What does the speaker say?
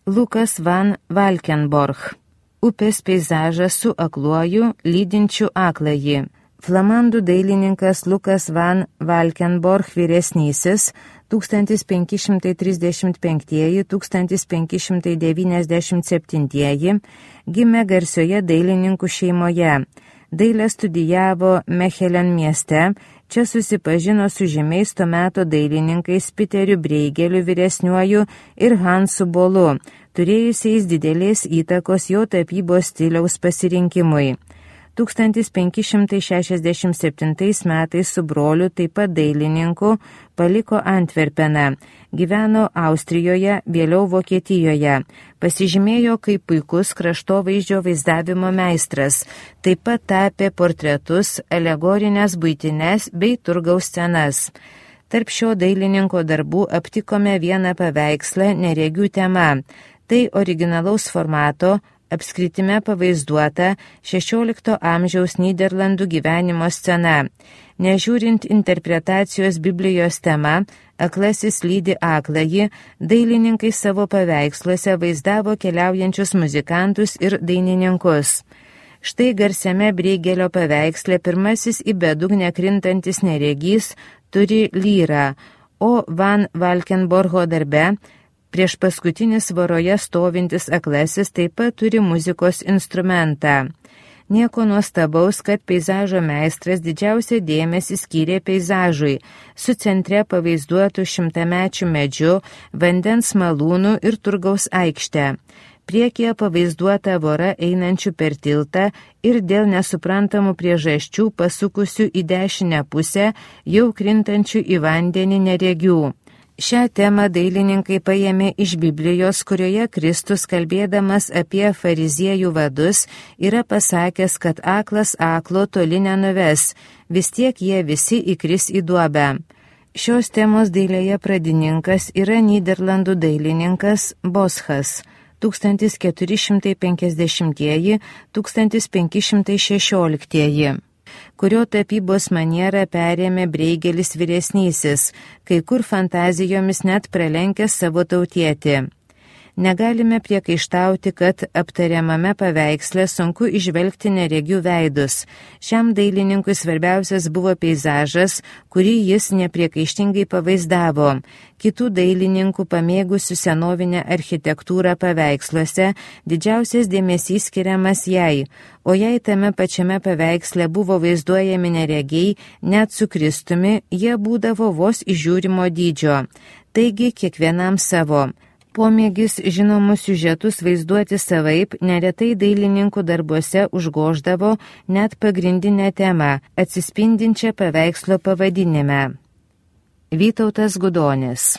Lukas van Valkenborg. Upės peizažas su akluoju, lydinčiu akląjį. Flamandų dailininkas Lukas van Valkenborg vyresnysis 1535–1597 gimė garsioje dailininkų šeimoje. Dailę studijavo Mechelen mieste, čia susipažino su žymiais to meto dailininkais Piteriu Breigeliu vyresniuoju ir Hansu Bolu, turėjusiais didelės įtakos jo tapybos stiliaus pasirinkimui. 1567 metais su broliu, taip pat dailininku, paliko Antverpeną, gyveno Austrijoje, vėliau Vokietijoje, pasižymėjo kaip puikus kraštovaizdžio vaizdavimo meistras, taip pat tapė portretus, alegorinės buitinės bei turgaus scenas. Tarp šio dailininko darbų aptikome vieną paveikslą neregių tema. Tai originalaus formato, apskritime pavaizduota 16 amžiaus Nyderlandų gyvenimo scena. Nežiūrint interpretacijos Biblijos tema, aklasis lydi akląjį, dailininkai savo paveiksluose vaizdavo keliaujančius muzikantus ir dainininkus. Štai garsiame Breigelio paveiksle pirmasis į bedugnę krintantis neregys turi lyrą, o Van Valkenborgo darbe prieš paskutinis voroje stovintis aklasis taip pat turi muzikos instrumentą. Nieko nuostabaus, kad peizažo meistras didžiausią dėmesį skyrė peizažui, su centre pavaizduotų šimtamečių medžių, vandens malūnų ir turgaus aikštę. Priekyje pavaizduota vora einančių per tiltą ir dėl nesuprantamų priežasčių pasukusių į dešinę pusę jau krintančių į vandenį neregių. Šią temą dailininkai paėmė iš Biblijos, kurioje Kristus, kalbėdamas apie fariziejų vadus, yra pasakęs, kad aklas aklo toli nenuves, vis tiek jie visi įkris į duobę. Šios temos dailėje pradininkas yra Nyderlandų dailininkas Boschas 1450–1516, kurio tapybos manierą perėmė Breigelis vyresnysis, kai kur fantazijomis net pralenkęs savo tautietį. Negalime priekaištauti, kad aptariamame paveiksle sunku išvelgti neregių veidus. Šiam dailininkui svarbiausias buvo peizažas, kurį jis nepriekaištingai pavaizdavo. Kitų dailininkų pamėgusių senovinę architektūrą paveiksluose didžiausias dėmesys skiriamas jai, o jei tame pačiame paveiksle buvo vaizduojami neregiai, net su Kristumi, jie būdavo vos įžiūrimo dydžio. Taigi kiekvienam savo. Pomėgis žinomus siužetus vaizduoti savaip neretai dailininkų darbuose užgoždavo net pagrindinę temą, atsispindinčią paveikslo pavadinime. Vytautas Gudonis.